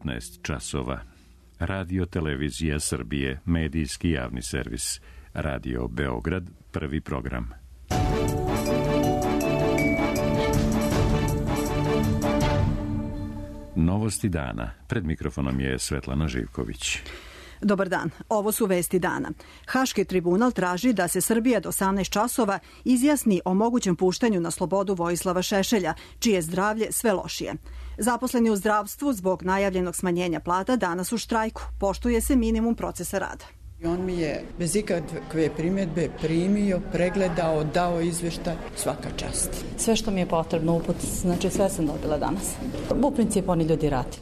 19 časova. Radio Televizija Srbije, medijski javni servis. Radio Beograd, prvi program. Novosti dana. Pred mikrofonom je Svetlana Živković. Dobar dan, ovo su vesti dana. Haški tribunal traži da se Srbija do 18 časova izjasni o mogućem puštanju na slobodu Vojislava Šešelja, čije zdravlje sve lošije. Zaposleni u zdravstvu zbog najavljenog smanjenja plata danas u štrajku. Poštuje se minimum procesa rada. On mi je bez ikakve primjedbe primio, pregledao, dao izveštaj, svaka čast. Sve što mi je potrebno uput, znači sve sam dobila danas. U principu oni ljudi radi.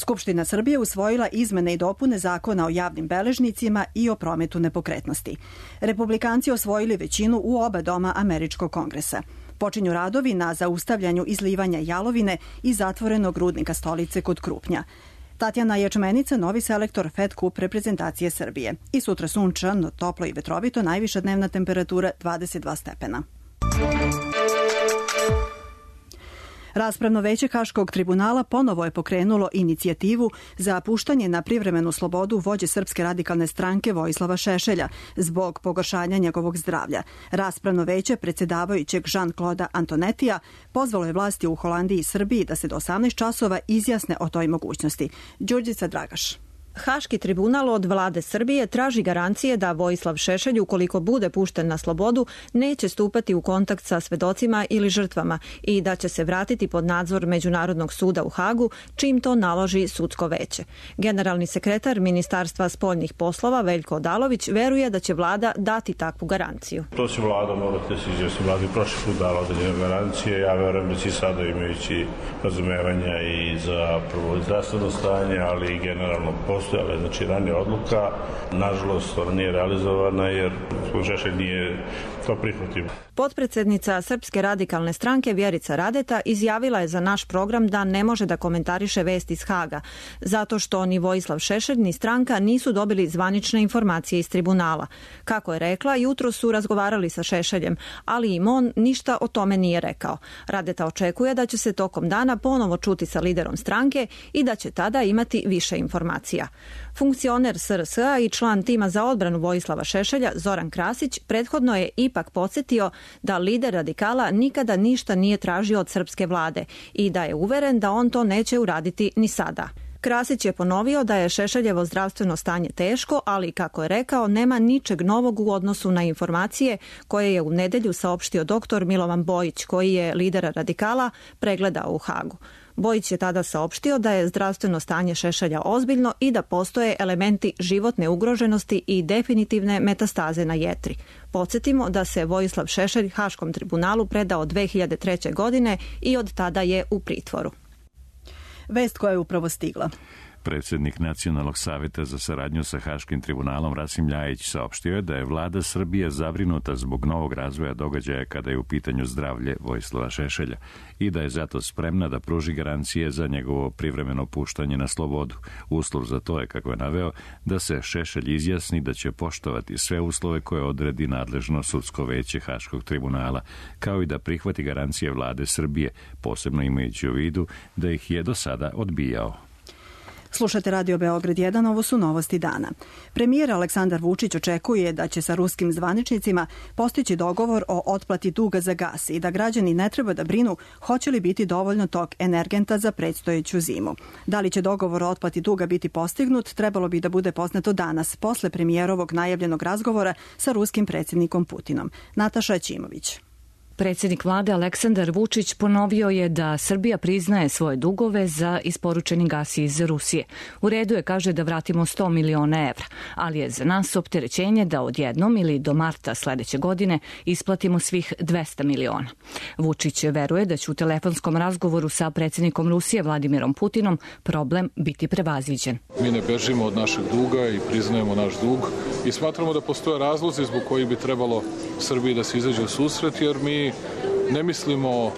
Skupština Srbije usvojila izmene i dopune Zakona o javnim beležnicima i o prometu nepokretnosti. Republikanci osvojili većinu u oba doma Američkog kongresa. Počinju radovi na zaustavljanju izlivanja jalovine iz zatvorenog rudnika Stolice kod Krupnja. Tatjana Ječmenica, novi selektor Fed Cup reprezentacije Srbije. I sutra sunčano, toplo i vetrovito, najviša dnevna temperatura 22 stepena. Raspravno veće Haškog tribunala ponovo je pokrenulo inicijativu za puštanje na privremenu slobodu vođe Srpske radikalne stranke Vojislava Šešelja zbog pogoršanja njegovog zdravlja. Raspravno veće predsjedavajućeg Jean-Claude Antonetija pozvalo je vlasti u Holandiji i Srbiji da se do 18 časova izjasne o toj mogućnosti. Đurđica Dragaš. Haški tribunal od vlade Srbije traži garancije da Vojislav Šešelj, ukoliko bude pušten na slobodu, neće stupati u kontakt sa svedocima ili žrtvama i da će se vratiti pod nadzor Međunarodnog suda u Hagu, čim to naloži sudsko veće. Generalni sekretar Ministarstva spoljnih poslova Veljko Odalović veruje da će vlada dati takvu garanciju. To će vlada morati da se izjasni. Vlada je prošli put dala određene garancije. Ja verujem da će sada, imajući razumevanja i za prvo zdravstveno stanje, ali i generalno postojala je znači ranija odluka. Nažalost, ona nije realizovana jer Šešelj nije to prihvatio. Potpredsednica Srpske radikalne stranke Vjerica Radeta izjavila je za naš program da ne može da komentariše vesti iz Haga, zato što ni Vojislav Šešelj ni stranka nisu dobili zvanične informacije iz tribunala. Kako je rekla, jutro su razgovarali sa Šešeljem, ali im on ništa o tome nije rekao. Radeta očekuje da će se tokom dana ponovo čuti sa liderom stranke i da će tada imati više informacija. Funkcioner SRS-a i član tima za odbranu Vojislava Šešelja Zoran Krasić prethodno je ipak podsjetio da lider radikala nikada ništa nije tražio od srpske vlade i da je uveren da on to neće uraditi ni sada. Krasić je ponovio da je Šešeljevo zdravstveno stanje teško, ali kako je rekao, nema ničeg novog u odnosu na informacije koje je u nedelju saopštio dr. Milovan Bojić, koji je lidera radikala pregledao u Hagu. Bojić je tada saopštio da je zdravstveno stanje Šešelja ozbiljno i da postoje elementi životne ugroženosti i definitivne metastaze na jetri. Podsjetimo da se Vojislav Šešelj Haškom tribunalu predao 2003. godine i od tada je u pritvoru. Vest koja je upravo stigla. Predsjednik Nacionalnog savjeta za saradnju sa Haškim tribunalom Rasim Ljajić saopštio je da je vlada Srbije zabrinuta zbog novog razvoja događaja kada je u pitanju zdravlje Vojislava Šešelja i da je zato spremna da pruži garancije za njegovo privremeno puštanje na slobodu. Uslov za to je, kako je naveo, da se Šešelj izjasni da će poštovati sve uslove koje odredi nadležno sudsko veće Haškog tribunala, kao i da prihvati garancije vlade Srbije, posebno imajući u vidu da ih je do sada odbijao. Slušate Radio Beograd 1, ovo su novosti dana. Premijer Aleksandar Vučić očekuje da će sa ruskim zvaničnicima postići dogovor o otplati duga za gas i da građani ne treba da brinu hoće li biti dovoljno tog energenta za predstojeću zimu. Da li će dogovor o otplati duga biti postignut, trebalo bi da bude poznato danas, posle premijerovog najavljenog razgovora sa ruskim predsjednikom Putinom. Nataša Ćimović. Predsjednik vlade Aleksandar Vučić ponovio je da Srbija priznaje svoje dugove za isporučeni gas iz Rusije. U redu je, kaže, da vratimo 100 miliona evra, ali je za nas opterećenje da odjednom ili do marta sledeće godine isplatimo svih 200 miliona. Vučić veruje da će u telefonskom razgovoru sa predsjednikom Rusije Vladimirom Putinom problem biti prevaziđen. Mi ne bežimo od našeg duga i priznajemo naš dug i smatramo da postoje razlozi zbog koji bi trebalo Srbiji da se izađe u susret, jer mi ne mislimo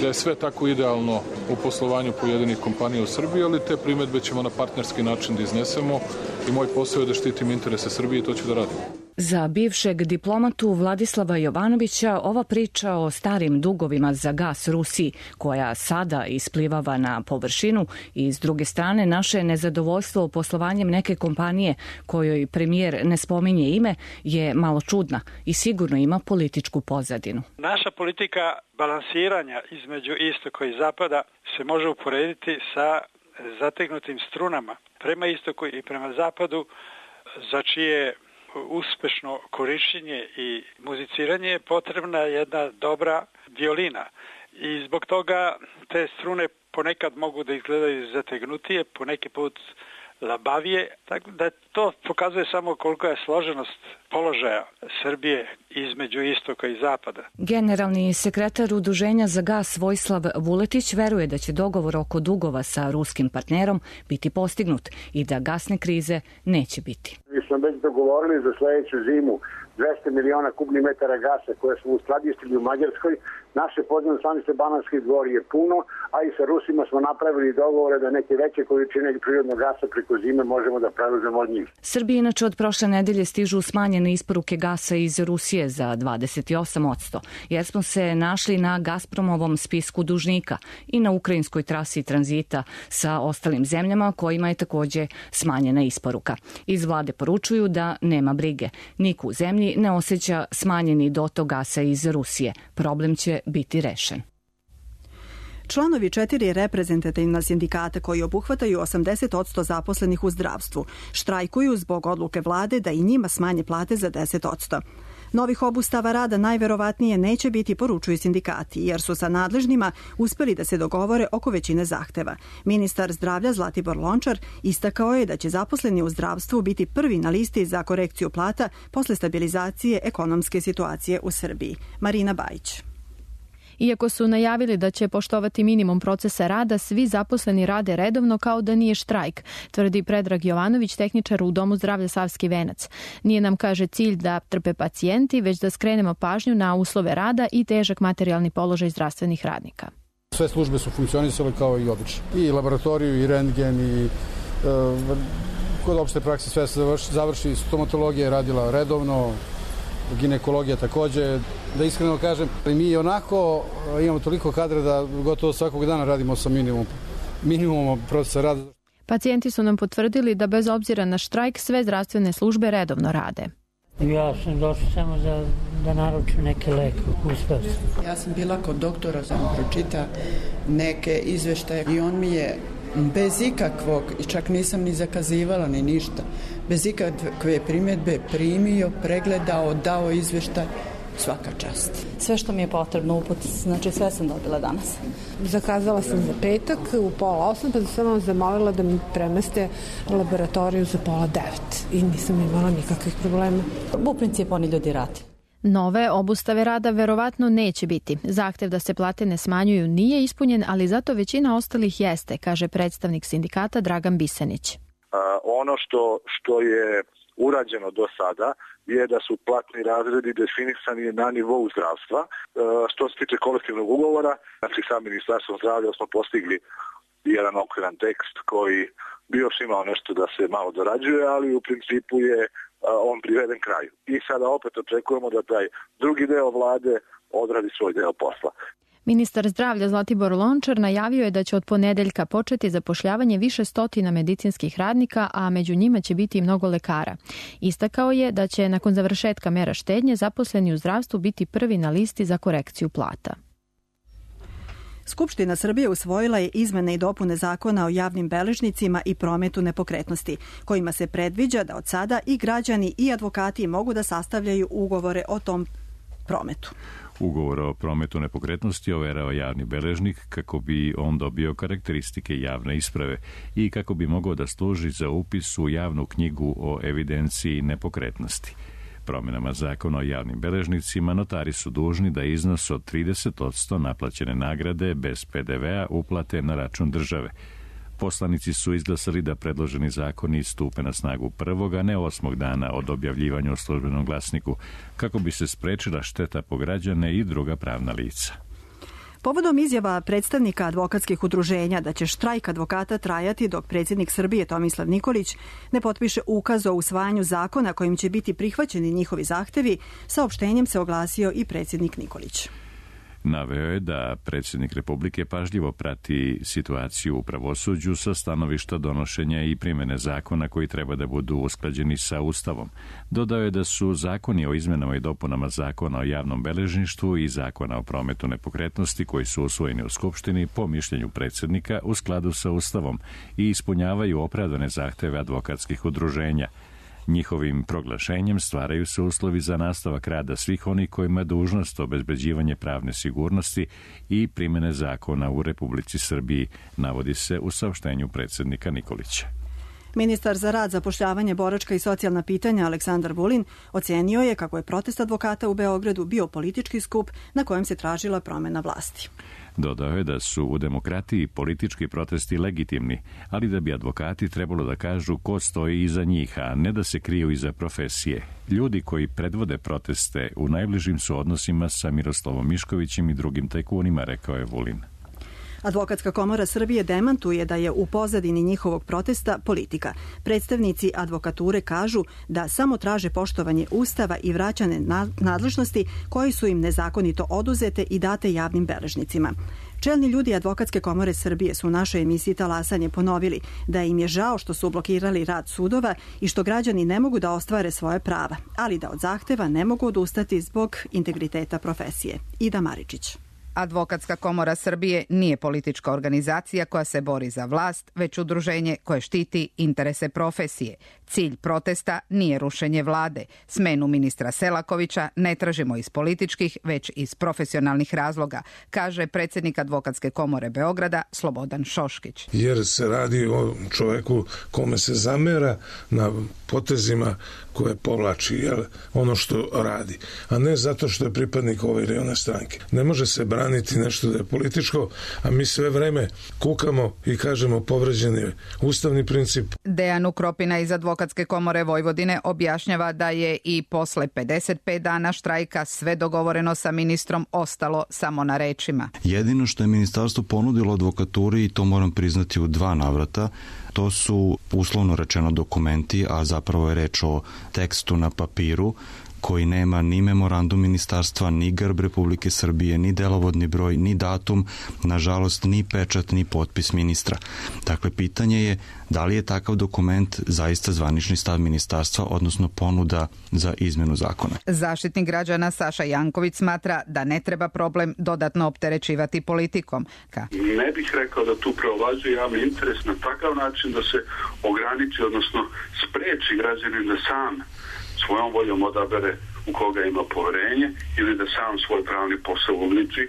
da je sve tako idealno u poslovanju pojedinih kompanija u Srbiji, ali te primedbe ćemo na partnerski način da iznesemo i moj posao je da štitim interese Srbije i to ću da radim. Za bivšeg diplomatu Vladislava Jovanovića ova priča o starim dugovima za gas Rusiji, koja sada isplivava na površinu, i s druge strane naše nezadovoljstvo poslovanjem neke kompanije kojoj premijer ne spominje ime je malo čudna i sigurno ima političku pozadinu. Naša politika balansiranja između istoka i zapada se može uporediti sa zategnutim strunama prema istoku i prema zapadu, za čije uspešno korišćenje i muziciranje je potrebna jedna dobra violina. I zbog toga te strune ponekad mogu da izgledaju zategnutije, poneki put labavije, tako da to pokazuje samo koliko je složenost položaja Srbije između istoka i zapada. Generalni sekretar Udruženja za gas Vojislav Vuletić veruje da će dogovor oko dugova sa ruskim partnerom biti postignut i da gasne krize neće biti. Mi smo već dogovorili za sledeću zimu 200 miliona kubnih metara gasa koje smo uskladištili u Mađarskoj. Naše podzemne stanice Banatski Dvor je puno, a i sa Rusima smo napravili dogovore da neke veće količine prirodnog gasa preko zime možemo da preuzemo od njih. Srbiji inače od prošle nedelje stižu smanjene isporuke gasa iz Rusije za 28%, jer smo se našli na Gazpromovom spisku dužnika i na ukrajinskoj trasi tranzita sa ostalim zemljama kojima je takođe smanjena isporuka. Iz vlade poručuju da nema brige. Niko u zemlji ne osjeća smanjeni dotok gasa iz Rusije. Problem će biti rešen. Članovi 4 reprezentativna sindikata koji obuhvataju 80% zaposlenih u zdravstvu štrajkuju zbog odluke vlade da i njima smanje plate za 10%. Novih obustava rada najverovatnije neće biti, poručuju sindikati, jer su sa nadležnima uspeli da se dogovore oko većine zahteva. Ministar zdravlja Zlatibor Lončar istakao je da će zaposleni u zdravstvu biti prvi na listi za korekciju plata posle stabilizacije ekonomske situacije u Srbiji. Marina Bajić. Iako su najavili da će poštovati minimum procesa rada, svi zaposleni rade redovno kao da nije štrajk, tvrdi Predrag Jovanović, tehničar u Domu zdravlja Savski Venac. Nije nam, kaže, cilj da trpe pacijenti, već da skrenemo pažnju na uslove rada i težak materijalni položaj zdravstvenih radnika. Sve službe su funkcionisale kao i obično. I laboratoriju, i rentgen, i kod opšte prakse sve se završi. Stomatologija je radila redovno, ginekologija takođe. Da iskreno kažem, mi onako imamo toliko kadra da gotovo svakog dana radimo sa minimumom procesa rada. Pacijenti su nam potvrdili da bez obzira na štrajk sve zdravstvene službe redovno rade. Ja sam došao samo da naručim neke leke. Uspeo sam. Ja sam bila kod doktora, sam pročita neke izveštaje i on mi je bez ikakvog, i čak nisam ni zakazivala ni ništa, bez ikakve primjedbe primio, pregledao, dao izveštaj. Svaka čast. Sve što mi je potrebno uput, znači sve sam dobila danas. Zakazala sam za petak u 7:30, pa sam samo zamolila da mi premeste laboratoriju za 8:30 i nisam imala nikakvih problema. U principu oni ljudi radi. Nove obustave rada verovatno neće biti. Zahtev da se plate ne smanjuju nije ispunjen, ali zato većina ostalih jeste, kaže predstavnik sindikata Dragan Bisanić. Ono što je urađeno do sada je da su platni razredi definisani na nivou zdravstva. Što se tiče kolektivnog ugovora, znači sa Ministarstvom zdravlja smo postigli jedan okviran tekst koji bi još imao nešto da se malo dorađuje, ali u principu je on priveden kraju. I sada opet očekujemo da taj drugi deo vlade odradi svoj deo posla. Ministar zdravlja Zlatibor Lončar najavio je da će od ponedeljka početi zapošljavanje više stotina medicinskih radnika, a među njima će biti i mnogo lekara. Istakao je da će nakon završetka mera štednje zaposleni u zdravstvu biti prvi na listi za korekciju plata. Skupština Srbije usvojila je izmene i dopune Zakona o javnim beležnicima i prometu nepokretnosti, kojima se predviđa da od sada i građani i advokati mogu da sastavljaju ugovore o tom prometu. Ugovor o prometu nepokretnosti overava javni beležnik kako bi on dobio karakteristike javne isprave i kako bi mogao da služi za upis u javnu knjigu o evidenciji nepokretnosti. Promjenama Zakona o javnim beležnicima notari su dužni da iznos od 30% naplaćene nagrade bez PDV-a uplate na račun države. Poslanici su izglasali da predloženi zakoni stupe na snagu 1. a ne 8. dana od objavljivanja u Službenom glasniku, kako bi se sprečila šteta po građane i druga pravna lica. Povodom izjava predstavnika advokatskih udruženja da će štrajk advokata trajati dok predsjednik Srbije Tomislav Nikolić ne potpiše ukaz o usvajanju zakona kojim će biti prihvaćeni njihovi zahtevi, saopštenjem se oglasio i predsjednik Nikolić. Naveo je da predsjednik Republike pažljivo prati situaciju u pravosuđu sa stanovišta donošenja i primjene zakona koji treba da budu usklađeni sa Ustavom. Dodao je da su zakoni o izmenama i dopunama zakona o javnom beležništvu i zakona o prometu nepokretnosti koji su usvojeni u Skupštini po mišljenju predsjednika u skladu sa Ustavom i ispunjavaju opravdane zahteve advokatskih udruženja. Njihovim proglašenjem stvaraju se uslovi za nastavak rada svih onih kojima je dužnost obezbeđivanje pravne sigurnosti i primjene zakona u Republici Srbiji, navodi se u saopštenju predsjednika Nikolića. Ministar za rad, zapošljavanje, boračka i socijalna pitanja Aleksandar Vulin ocenio je kako je protest advokata u Beogradu bio politički skup na kojem se tražila promjena vlasti. Dodao je da su u demokratiji politički protesti legitimni, ali da bi advokati trebalo da kažu ko stoji iza njih, a ne da se kriju iza profesije. Ljudi koji predvode proteste u najbližim su odnosima sa Miroslavom Miškovićem i drugim tajkunima, rekao je Vulin. Advokatska komora Srbije demantuje da je u pozadini njihovog protesta politika. Predstavnici advokature kažu da samo traže poštovanje Ustava i vraćane nadležnosti koji su im nezakonito oduzete i date javnim beležnicima. Čelni ljudi Advokatske komore Srbije su u našoj emisiji Talasanje ponovili da im je žao što su blokirali rad sudova i što građani ne mogu da ostvare svoje prava, ali da od zahteva ne mogu odustati zbog integriteta profesije. Ida Maričić. Advokatska komora Srbije nije politička organizacija koja se bori za vlast, već udruženje koje štiti interese profesije. Cilj protesta nije rušenje vlade. Smenu ministra Selakovića ne tražimo iz političkih, već iz profesionalnih razloga, kaže predsjednik Advokatske komore Beograda Slobodan Šoškić. Jer se radi o čoveku kome se zamera na potezima koje povlači, ono što radi, a ne zato što je pripadnik ove ili one stranke. Ne može se braniti nešto da je političko, a mi sve vreme kukamo i kažemo povređen je ustavni princip. Dejan Ukropina iz Advokatske komore Vojvodine objašnjava da je i posle 55 dana štrajka sve dogovoreno sa ministrom ostalo samo na rečima. Jedino što je ministarstvo ponudilo advokaturi, i to moram priznati u 2 navrata, to su uslovno rečeno dokumenti, a zapravo je reč o tekstu na papiru koji nema ni memorandum ministarstva, ni grb Republike Srbije, ni delovodni broj, ni datum, nažalost ni pečat, ni potpis ministra. Dakle, pitanje je da li je takav dokument zaista zvanični stav ministarstva, odnosno ponuda za izmenu zakona. Zaštitnik građana Saša Janković smatra da ne treba problem dodatno opterećivati politikom. Ne bih rekao da tu preovlađuje javni interes na takav način da se ograniči, odnosno spreči građanin da sam svojom voljom odabere u koga ima poverenje ili da sam svoj pravni posao uliči,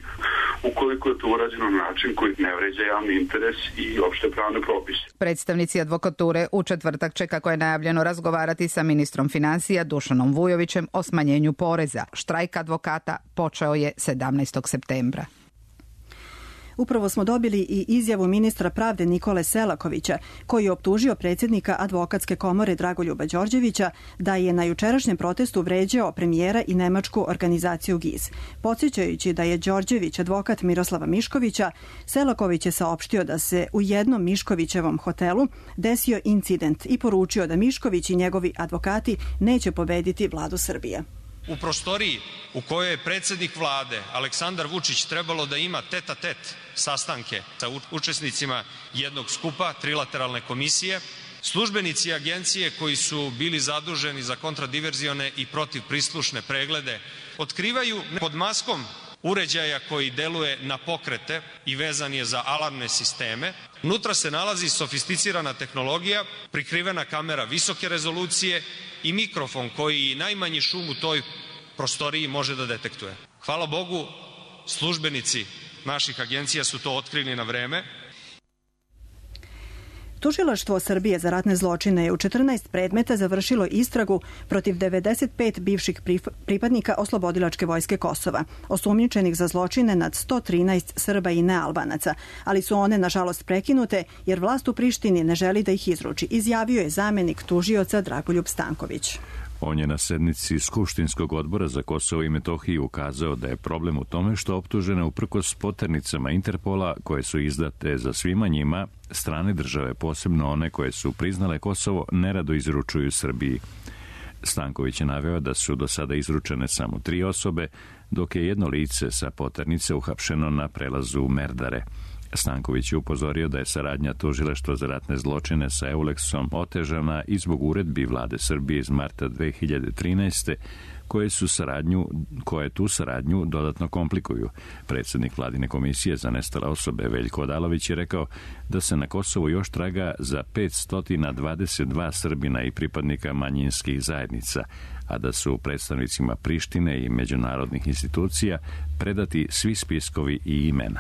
ukoliko je to urađeno na način koji ne vređa javni interes i opšte pravne propise. Predstavnici advokature u četvrtak će, kako je najavljeno, razgovarati sa ministrom financija Dušanom Vujovićem o smanjenju poreza. Štrajk advokata počeo je 17. septembra. Upravo smo dobili i izjavu ministra pravde Nikole Selakovića, koji je optužio predsjednika Advokatske komore Dragoljuba Đorđevića da je na jučerašnjem protestu vređao premijera i nemačku organizaciju GIZ. Podsjećajući da je Đorđević advokat Miroslava Miškovića, Selaković je saopštio da se u jednom Miškovićevom hotelu desio incident i poručio da Mišković i njegovi advokati neće pobediti vladu Srbije. U prostoriji u kojoj je predsjednik vlade Aleksandar Vučić trebalo da ima tet-a-tet sastanke sa učesnicima jednog skupa, trilateralne komisije, službenici agencije koji su bili zaduženi za kontradiverzione i protivprislušne preglede otkrivaju pod maskom uređaja koji deluje na pokrete i vezan je za alarmne sisteme. Unutra se nalazi sofisticirana tehnologija, prikrivena kamera visoke rezolucije i mikrofon koji najmanji šum u toj prostoriji može da detektuje. Hvala Bogu, službenici naših agencija su to otkrili na vreme. Tužilaštvo Srbije za ratne zločine je u 14 predmeta završilo istragu protiv 95 bivših pripadnika Oslobodilačke vojske Kosova, osumnjičenih za zločine nad 113 Srba i nealbanaca, ali su one nažalost prekinute jer vlast u Prištini ne želi da ih izruči, izjavio je zamenik tužioca Dragoljub Stanković. On je na sednici Skupštinskog odbora za Kosovo i Metohiju ukazao da je problem u tome što optužene uprkos poternicama Interpola koje su izdate za svima njima, strane države, posebno one koje su priznale Kosovo, nerado izručuju Srbiji. Stanković je naveo da su do sada izručene samo 3 osobe, dok je jedno lice sa poternice uhapšeno na prelazu Merdare. Stanković je upozorio da je saradnja Tužilaštva za ratne zločine sa Euleksom otežana i zbog uredbi vlade Srbije iz marta 2013. koje tu saradnju dodatno komplikuju. Predsjednik vladine komisije za nestale osobe Veljko Odalović je rekao da se na Kosovu još traga za 522 Srbina i pripadnika manjinskih zajednica, a da su predstavnicima Prištine i međunarodnih institucija predati svi spiskovi i imena.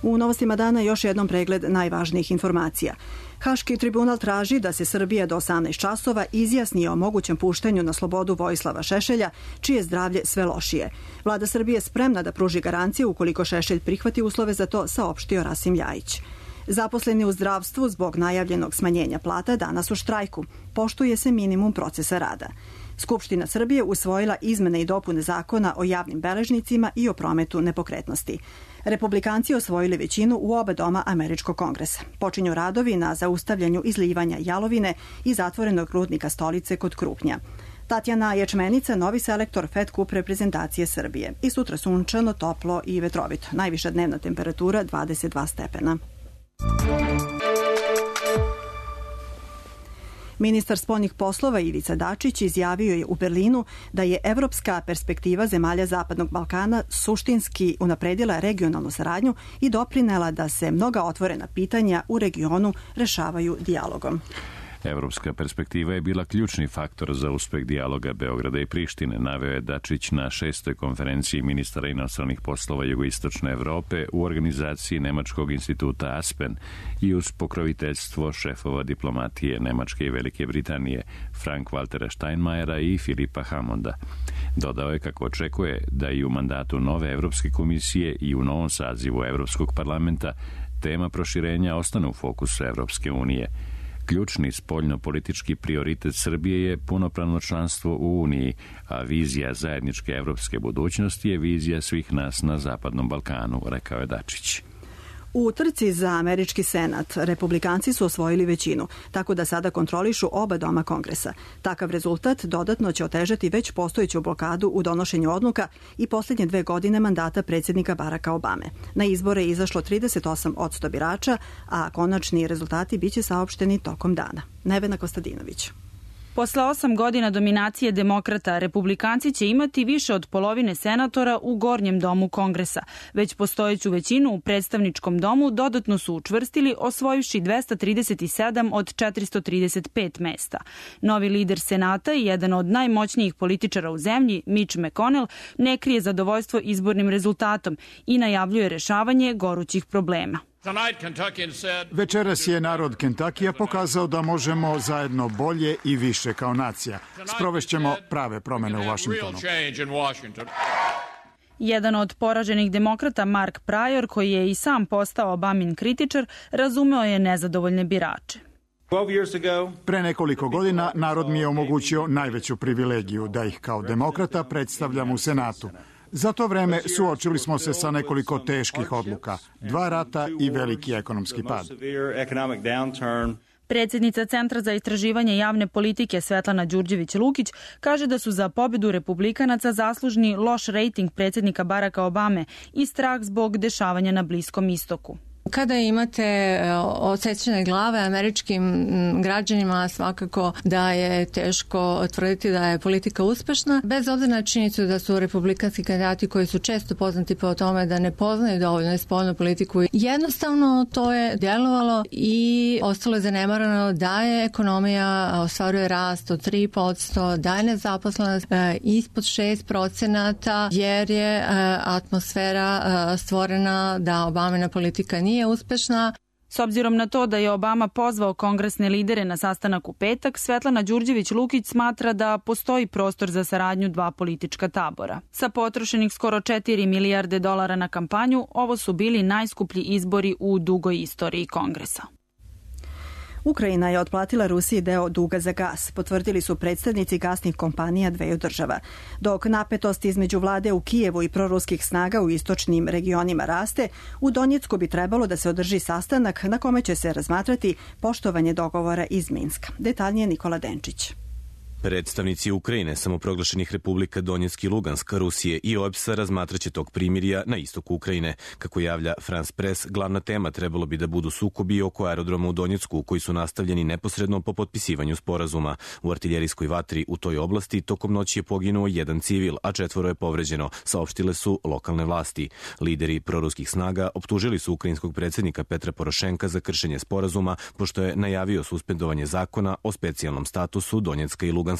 U novostima dana još jednom pregled najvažnijih informacija. Haški tribunal traži da se Srbija do 18 časova izjasni o mogućem puštanju na slobodu Vojislava Šešelja, čije zdravlje sve lošije. Vlada Srbije je spremna da pruži garancije ukoliko Šešelj prihvati uslove za to, saopštio Rasim Ljajić. Zaposleni u zdravstvu zbog najavljenog smanjenja plata danas u štrajku. Poštuje se minimum procesa rada. Skupština Srbije usvojila izmene i dopune zakona o javnim beležnicima i o prometu nepokretnosti. Republikanci osvojili većinu u oba doma Američkog kongresa. Počinju radovi na zaustavljanju izlivanja jalovine i zatvorenog rudnika Stolice kod Krupnja. Tatjana Ječmenica, novi selektor Fed Cup reprezentacije Srbije. I sutra sunčano, toplo i vetrovito. Najviša dnevna temperatura 22 stepena. Ministar spoljnih poslova Ivica Dačić izjavio je u Berlinu da je evropska perspektiva zemalja Zapadnog Balkana suštinski unapredila regionalnu saradnju i doprinela da se mnoga otvorena pitanja u regionu rešavaju dijalogom. Evropska perspektiva je bila ključni faktor za uspeh dijaloga Beograda i Prištine, naveo je Dačić na 6. konferenciji ministara inostranih poslova Jugoistočne Evrope u organizaciji Nemačkog instituta Aspen i uz pokroviteljstvo šefova diplomatije Nemačke i Velike Britanije Frank-Waltera Steinmeiera i Filipa Hammonda. Dodao je kako očekuje da i u mandatu nove Evropske komisije i u novom sazivu Evropskog parlamenta tema proširenja ostane u fokusu Evropske unije. Ključni spoljno-politički prioritet Srbije je punopravno članstvo u Uniji, a vizija zajedničke evropske budućnosti je vizija svih nas na Zapadnom Balkanu, rekao je Dačić. U trci za američki senat republikanci su osvojili većinu, tako da sada kontrolišu oba doma kongresa. Takav rezultat dodatno će otežati već postojeću blokadu u donošenju odluka i posljednje 2 godine mandata predsjednika Baracka Obame. Na izbore je izašlo 38% birača, a konačni rezultati biće saopšteni tokom dana. Nevena Kostadinović. Posle 8 godina dominacije demokrata, republikanci će imati više od polovine senatora u gornjem domu Kongresa. Već postojeću većinu u predstavničkom domu dodatno su učvrstili, osvojivši 237 od 435 mesta. Novi lider Senata i jedan od najmoćnijih političara u zemlji, Mitch McConnell, ne krije zadovoljstvo izbornim rezultatom i najavljuje rešavanje gorućih problema. Večeras je narod Kentakija pokazao da možemo zajedno bolje i više kao nacija. Sprovešćemo prave promene u Vašingtonu. Jedan od poraženih demokrata, Mark Pryor, koji je i sam postao Obamin kritičar, razumeo je nezadovoljne birače. Pre nekoliko godina narod mi je omogućio najveću privilegiju da ih kao demokrata predstavljam u Senatu. Za to vreme suočili smo se sa nekoliko teških odluka, 2 rata i veliki ekonomski pad. Predsjednica Centra za istraživanje javne politike Svetlana Đurđević-Lukić kaže da su za pobedu republikanaca zaslužni loš rejting predsjednika Baracka Obame i strah zbog dešavanja na Bliskom istoku. Kada imate odsečene glave američkim građanima, svakako da je teško tvrditi da je politika uspešna, bez obzira na činjenicu da su republikanski kandidati koji su često poznati po tome da ne poznaju dovoljno spoljnu politiku. Jednostavno to je djelovalo i ostalo je zanemarano da je ekonomija ostvaruje rast od 3%, da je nezaposlenost ispod 6%, jer je atmosfera stvorena da Obamina politika nije uspešna. S obzirom na to da je Obama pozvao kongresne lidere na sastanak u petak, Svetlana Đurđević-Lukić smatra da postoji prostor za saradnju 2 politička tabora. Sa potrošenih skoro $4 milijarde na kampanju, ovo su bili najskuplji izbori u dugoj istoriji Kongresa. Ukrajina je otplatila Rusiji deo duga za gas, potvrdili su predstavnici gasnih kompanija dveju država. Dok napetost između vlade u Kijevu i proruskih snaga u istočnim regionima raste, u Donjecku bi trebalo da se održi sastanak na kome će se razmatrati poštovanje dogovora iz Minska. Detaljnije Nikola Denčić. Predstavnici Ukrajine, samoproglašenih republika Donjeck i Lugansk, Rusije i OEBS-a razmatraće tog primirja na istoku Ukrajine. Kako javlja France Press, glavna tema trebalo bi da budu sukobi oko aerodroma u Donjecku, koji su nastavljeni neposredno po potpisivanju sporazuma. U artiljerijskoj vatri u toj oblasti tokom noći je poginuo jedan civil, a 4 je povređeno, saopštile su lokalne vlasti. Lideri proruskih snaga optužili su ukrajinskog predsjednika Petra Porošenka za kršenje sporazuma, pošto je najavio suspendovanje zakona o specijalnom statusu Donjecka i Luganska.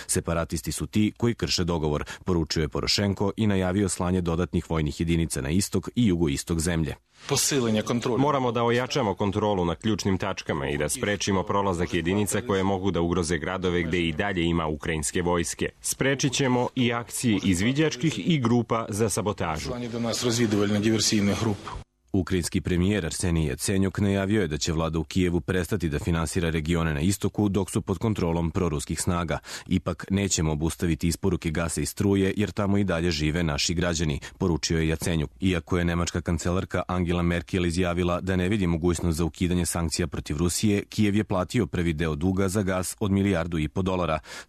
Separatisti su ti koji krše dogovor, poručio je Porošenko i najavio slanje dodatnih vojnih jedinica na istok i jugoistok zemlje. Moramo da ojačamo kontrolu na ključnim tačkama i da sprečimo prolazak jedinica koje mogu da ugroze gradove gde i dalje ima ukrajinske vojske. Sprečit ćemo i akcije izviđačkih i grupa za sabotažu. Ukrajinski premijer Arsenij Jacenjuk najavio je da će vlada u Kijevu prestati da finansira regione na istoku dok su pod kontrolom proruskih snaga. Ipak nećemo obustaviti isporuke gasa i struje jer tamo i dalje žive naši građani, poručio je Jacenjuk. Iako je nemačka kancelarka Angela Merkel izjavila da ne vidi mogućnost za ukidanje sankcija protiv Rusije, Kijev je platio prvi deo duga za gas od $1,5 milijardu.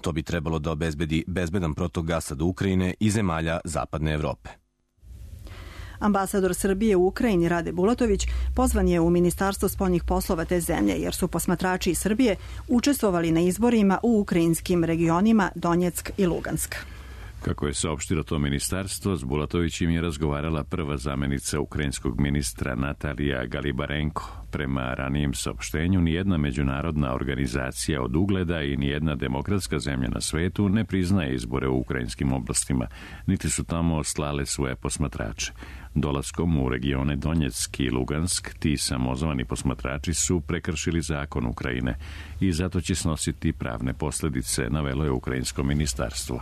To bi trebalo da obezbedi bezbedan protok gasa do Ukrajine i zemalja zapadne Evrope. Ambasador Srbije u Ukrajini Rade Bulatović pozvan je u Ministarstvo spoljnih poslova te zemlje jer su posmatrači iz Srbije učestvovali na izborima u ukrajinskim regionima Donjeck i Lugansk. Kako je saopštilo to ministarstvo, s Bulatovićim je razgovarala prva zamenica ukrajinskog ministra Natalija Galibarenko. Prema ranijem saopštenju, nijedna međunarodna organizacija od ugleda i nijedna demokratska zemlja na svetu ne priznaje izbore u ukrajinskim oblastima, niti su tamo slale svoje posmatrače. Dolaskom u regione Donjeck i Lugansk, ti samozvani posmatrači su prekršili zakon Ukrajine i zato će snositi pravne posljedice, navelo je ukrajinsko ministarstvo.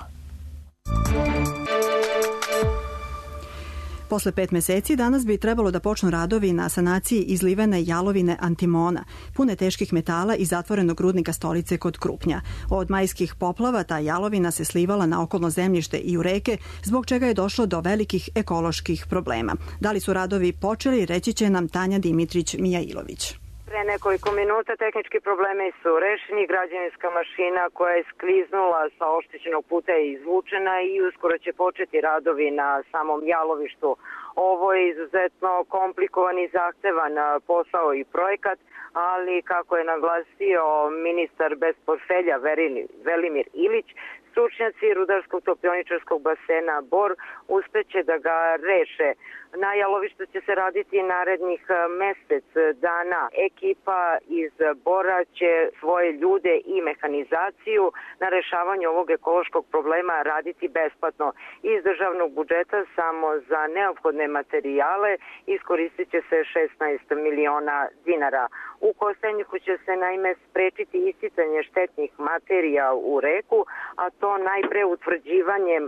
Posle 5 meseci danas bi trebalo da počnu radovi na sanaciji izlivene jalovine Antimona, pune teških metala i zatvorenog rudnika Stolice kod Krupnja. Od majskih poplava ta jalovina se slivala na okolno zemljište i u reke, zbog čega je došlo do velikih ekoloških problema. Da li su radovi počeli, reći će nam Tanja Dimitrić-Mijailović. Pre nekoliko minuta tehnički problemi su rešeni, građevinska mašina koja je skliznula sa oštećenog puta je izvučena i uskoro će početi radovi na samom jalovištu. Ovo je izuzetno komplikovan i zahtevan posao i projekat, ali kako je naglasio ministar bez portfelja Velimir Ilić, stručnjaci Rudarskog topioničarskog basena Bor uspeće da ga reše. Na jalovištu će se raditi narednih mesec dana. Ekipa iz Bora će svoje ljude i mehanizaciju na rešavanju ovog ekološkog problema raditi besplatno. Iz državnog budžeta samo za neophodne materijale iskoristit će se 16 miliona dinara. U Kostajniku će se naime sprečiti isticanje štetnih materija u reku, a to najpre utvrđivanjem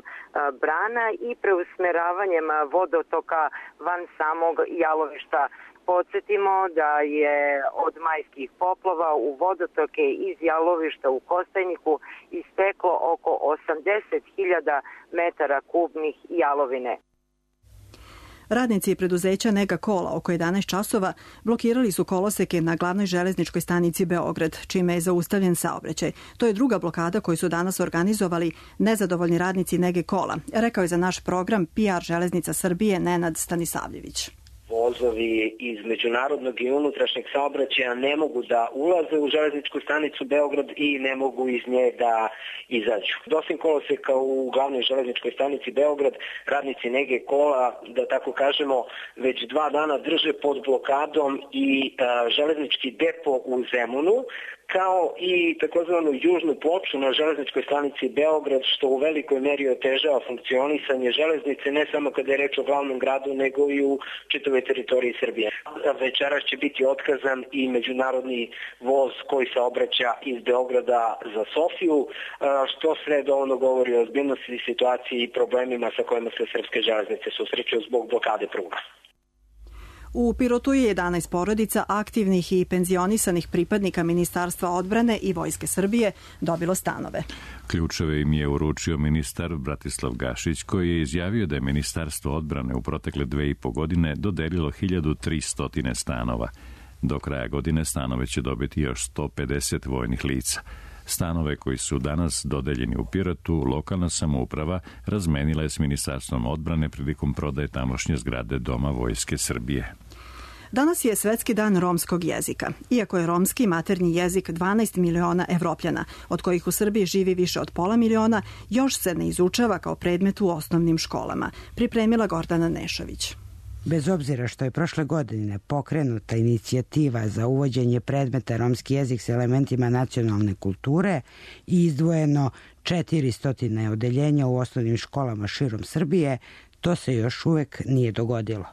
brana i preusmeravanjem vodotoka van samog jalovišta. Podsjetimo da je od majskih poplava u vodotoke iz jalovišta u Kostajniku isteklo oko 80.000 metara kubnih jalovine. Radnici preduzeća Nega Kola oko 11 časova blokirali su koloseke na glavnoj železničkoj stanici Beograd, čime je zaustavljen saobraćaj. To je druga blokada koju su danas organizovali nezadovoljni radnici Nege Kola, rekao je za naš program PR Železnica Srbije Nenad Stanisavljević. Vozovi iz međunarodnog i unutrašnjeg saobraćaja ne mogu da ulaze u železničku stanicu Beograd i ne mogu iz nje da izađu. Dosim koloseka u glavnoj železničkoj stanici Beograd, radnici Nege Kola, da tako kažemo, već 2 dana drže pod blokadom i železnički depo u Zemunu, kao i takozvanu južnu ploču na železničkoj stanici Beograd, što u velikoj meri otežava funkcionisanje železnice, ne samo kada je reč o glavnom gradu, nego i u čitavoj teritoriji Srbije. Večeras će biti otkazan i međunarodni voz koji se obraća iz Beograda za Sofiju, što sve dovoljno govori o ozbiljnosti situacije i problemima sa kojima se srpske železnice susreću zbog blokade pruga. U Pirotu je 11 porodica aktivnih i penzionisanih pripadnika Ministarstva odbrane i Vojske Srbije dobilo stanove. Ključeve im je uručio ministar Bratislav Gašić, koji je izjavio da je Ministarstvo odbrane u protekle 2,5 godine dodelilo 1300 stanova. Do kraja godine stanove će dobiti još 150 vojnih lica. Stanove koji su danas dodeljeni u Pirotu, lokalna samouprava razmenila je s Ministarstvom odbrane prilikom prodaje tamošnje zgrade Doma Vojske Srbije. Danas je Svetski dan romskog jezika. Iako je romski maternji jezik 12 miliona Evropljana, od kojih u Srbiji živi više od pola miliona, još se ne izučava kao predmet u osnovnim školama. Pripremila Gordana Nešović. Bez obzira što je prošle godine pokrenuta inicijativa za uvođenje predmeta romski jezik s elementima nacionalne kulture i izdvojeno 400 odeljenja u osnovnim školama širom Srbije, to se još uvek nije dogodilo.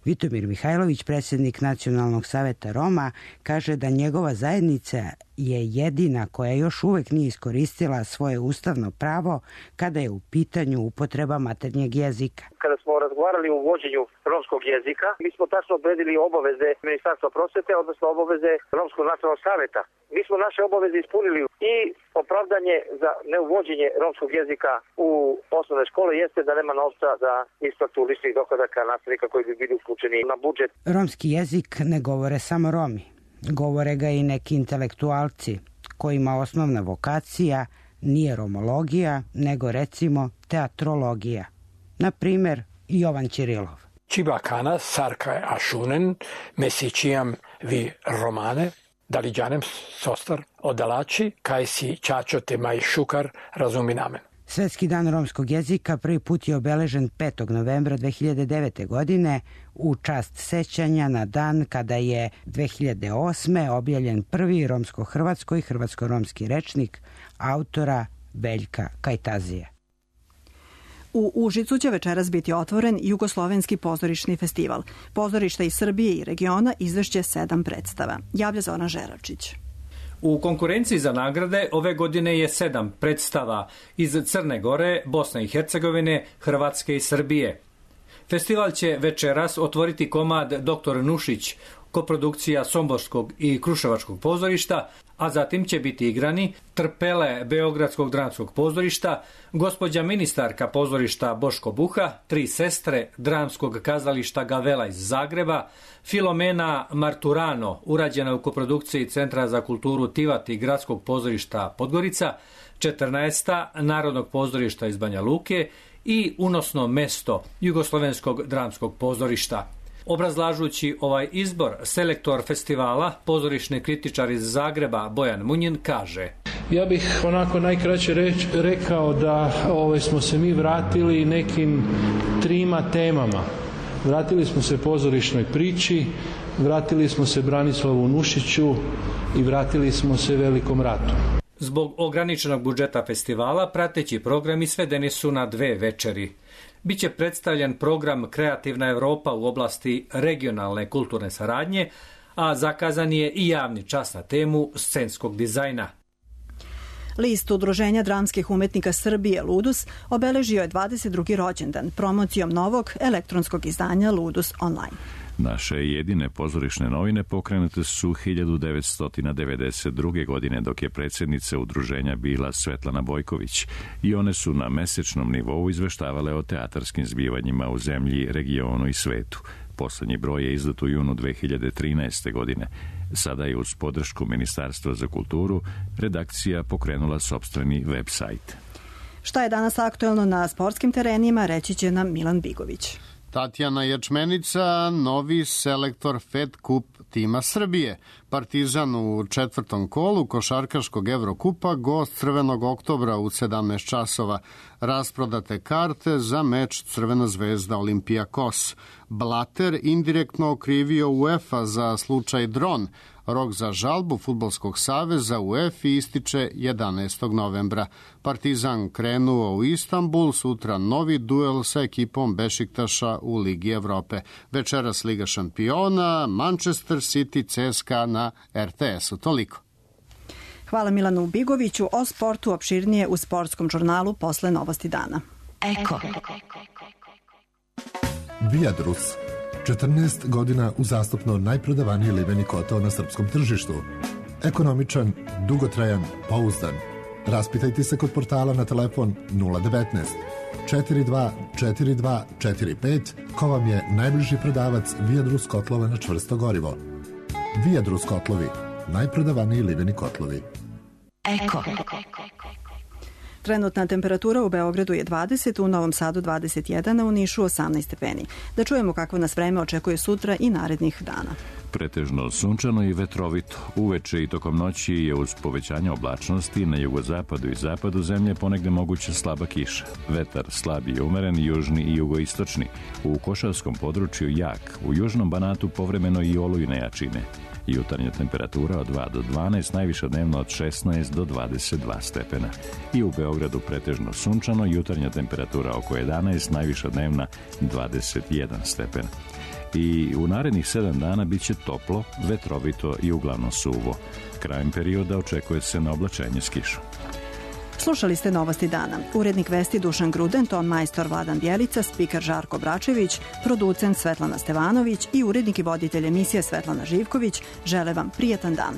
Vitomir Mihajlović, predsjednik Nacionalnog saveta Roma, kaže da njegova zajednica je jedina koja još uvek nije iskoristila svoje ustavno pravo kada je u pitanju upotreba maternjeg jezika. Kada smo razgovarali o uvođenju romskog jezika, mi smo tačno odredili obaveze Ministarstva prosvete, odnosno obaveze Romskog nacionalnog saveta. Mi smo naše obaveze ispunili i opravdanje za neuvođenje romskog jezika u osnovne škole jeste da nema novca za isplatu ličnih dohodaka nastavnika koji bi bili uključeni na budžet. Romski jezik ne govore samo Romi. Govore ga i neki intelektualci kojima osnovna vokacija nije romologija, nego recimo teatrologija. Na primer, Jovan Ćirilov. Čibakana, sarka ašunen, mesićijam vi romane, daliđanem sostar odalači, kaj si čačote maj šukar razuminamen. Svetski dan romskog jezika prvi put je obeležen 5. novembra 2009. godine u čast sećanja na dan kada je 2008. objavljen prvi romsko-hrvatsko i hrvatsko-romski rečnik autora Veljka Kajtazije. U Užicu će večeras biti otvoren Jugoslovenski pozorišni festival. Pozorišta iz Srbije i regiona izvešće 7 predstava. Javlja Zoran Žeračić. U konkurenciji za nagrade ove godine je 7 predstava iz Crne Gore, Bosne i Hercegovine, Hrvatske i Srbije. Festival će večeras otvoriti komad Dr. Nušić, koprodukcija Somborskog i Kruševačkog pozorišta, a zatim će biti igrani Trpele Beogradskog dramskog pozorišta, Gospođa ministarka pozorišta Boško Buha, Tri sestre dramskog kazališta Gavela iz Zagreba, Filomena Marturano, urađena u koprodukciji Centra za kulturu Tivat i Gradskog pozorišta Podgorica, 14. Narodnog pozorišta iz Banja Luke i Unosno mesto Jugoslovenskog dramskog pozorišta. Obrazlažući ovaj izbor, selektor festivala, pozorišni kritičar iz Zagreba Bojan Munjin kaže: Ja bih onako najkraće rekao da smo se mi vratili nekim 3 temama. Vratili smo se pozorišnoj priči, vratili smo se Branislavu Nušiću i vratili smo se Velikom ratu. Zbog ograničenog budžeta festivala, prateći programi svedeni su na 2 večeri. Biće predstavljen program Kreativna Evropa u oblasti regionalne kulturne saradnje, a zakazan je i javni čas na temu scenskog dizajna. List Udruženja dramskih umetnika Srbije Ludus obeležio je 22. rođendan promocijom novog elektronskog izdanja Ludus Online. Naše jedine pozorišne novine pokrenute su 1992. godine, dok je predsjednica udruženja bila Svetlana Bojković, i one su na mesečnom nivou izveštavale o teatarskim zbivanjima u zemlji, regionu i svetu. Poslednji broj je izdat u junu 2013. godine. Sada je uz podršku Ministarstva za kulturu redakcija pokrenula sopstveni web sajt. Šta je danas aktuelno na sportskim terenima, reći će nam Milan Bigović. Tatjana Ječmenica, novi selektor Fed Kup tima Srbije. Partizan u 4. kolu košarkaškog Evrokupa, gost Crvenog oktobra u 17 časova. Rasprodate karte za meč Crvena zvezda Olimpijakos. Blatter indirektno okrivio UEFA za slučaj dron. Rok za žalbu Fudbalskog saveza UEFA ističe 11. novembra. Partizan krenuo u Istanbul, sutra novi duel sa ekipom Bešiktaša u Ligi Evrope. Večeras Liga šampiona, Manchester City, CSKA na RTS-u. Toliko. Hvala Milanu Bigoviću. O sportu opširnije u sportskom žurnalu posle novosti dana. Viadrus, 14 godina uzastopno najprodavaniji limeni kotao na srpskom tržištu. Ekonomičan, dugotrajan, pouzdan. Raspitajte se kod portala na telefon 019 42 42 45 ko vam je najbliži prodavac Viadrus kotlova na čvrsto gorivo. Viadrus kotlovi, najprodavaniji liveni kotlovi. Eko. Trenutna temperatura u Beogradu je 20, u Novom Sadu 21, a u Nišu 18 stepeni. Da čujemo kako nas vreme očekuje sutra i narednih dana. Pretežno sunčano i vetrovito. Uveče i tokom noći je uz povećanje oblačnosti na jugozapadu i zapadu zemlje ponegde moguća slaba kiša. Vetar slab i umeren, južni i jugoistočni. U Košavskom području jak, u južnom Banatu povremeno i olujne jačine. Jutarnja temperatura od 2 do 12, najviša dnevno od 16 do 22 stepena. I u Beogradu pretežno sunčano, jutarnja temperatura oko 11, najviša dnevna 21 stepen. I u narednih 7 dana bit će toplo, vetrovito i uglavnom suvo. Krajem perioda očekuje se na oblačenje s kišom. Slušali ste Novosti dana. Urednik vesti Dušan Gruden, ton majstor Vladan Bjelica, spiker Žarko Bračević, producent Svetlana Stevanović i urednik i voditelj emisije Svetlana Živković žele vam prijatan dan.